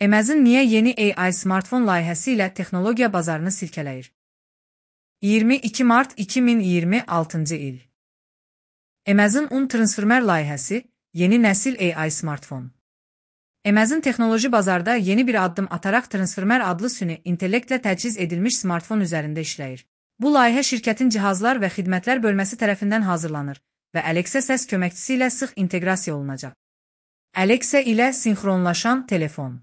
Amazon niyə yeni AI smartfon layihəsi ilə texnologiya bazarını silkələyir? 22 mart 2026-cı il. Amazon Un transformer layihəsi, yeni nəsil AI smartfon. Amazon texnoloji bazarda yeni bir addım ataraq Transformer adlı süni intellektlə təchiz edilmiş smartfon üzərində işləyir. Bu layihə şirkətin cihazlar və xidmətlər bölməsi tərəfindən hazırlanır və Alexa səs köməkçisi ilə sıx inteqrasiya olunacaq. Alexa ilə sinxronlaşan telefon.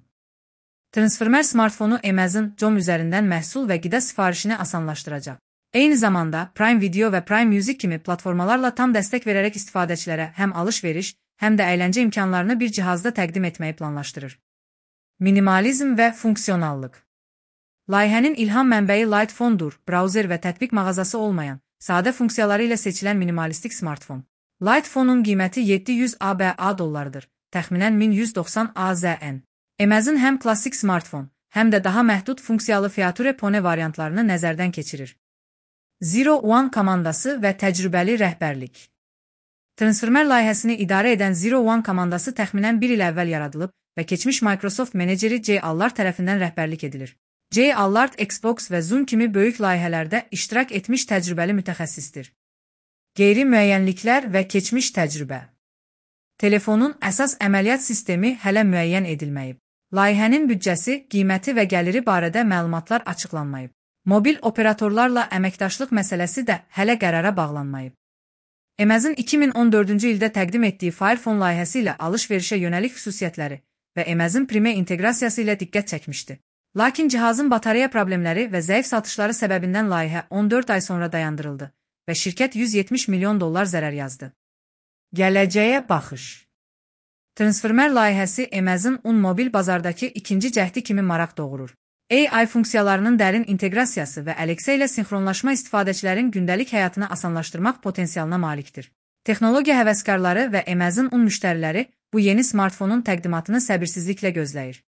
Transformer smartfonu Amazon.com üzərindən məhsul və qida sifarişini asanlaşdıracaq. Eyni zamanda Prime Video və Prime Music kimi platformalarla tam dəstək verərək istifadəçilərə həm alış-veriş, həm də əyləncə imkanlarını bir cihazda təqdim etməyi planlaşdırır. Minimalizm və funksionallıq. Layihənin ilham mənbəyi Light Phone-dur, brauzer və tətbiq mağazası olmayan, sadə funksiyaları ilə seçilən minimalistik smartfon. Light Phone-un qiyməti 700 ABA dollardır, təxminən 1190 AZN. Amazon həm klassik smartfon, həm də daha məhdud funksiyalı Feature Phone variantlarını nəzərdən keçirir. Zero One komandası və təcrübəli rəhbərlik. Transformer layihəsini idarə edən Zero One komandası təxminən 1 il əvvəl yaradılıb və keçmiş Microsoft meneceri Jay Allard tərəfindən rəhbərlik edilir. Jay Allard Xbox və Zoom kimi böyük layihələrdə iştirak etmiş təcrübəli mütəxəssisdir. Qeyri-müəyyənliklər və keçmiş təcrübə. Telefonun əsas əməliyyat sistemi hələ müəyyən edilməyib. Layihənin büdcəsi, qiyməti və gəliri barədə məlumatlar açıqlanmayıb. Mobil operatorlarla əməkdaşlıq məsələsi də hələ qərara bağlanmayıb. Amazon 2014-cü ildə təqdim etdiyi Fire Phone layihəsi ilə alış-verişə yönəlik xüsusiyyətləri və Amazon Prime inteqrasiyası ilə diqqət çəkmişdi. Lakin cihazın batareya problemləri və zəif satışları səbəbindən layihə 14 ay sonra dayandırıldı və şirkət $170 milyon zərər yazdı. Gələcəyə baxış. Transformer layihəsi Amazon Un mobil bazardakı ikinci cəhdi kimi maraq doğurur. AI funksiyalarının dərin inteqrasiyası və Alexa ilə sinxronlaşma istifadəçilərin gündəlik həyatını asanlaşdırmaq potensialına malikdir. Texnologiya həvəskarları və Amazon Un müştəriləri bu yeni smartfonun təqdimatını səbirsizliklə gözləyir.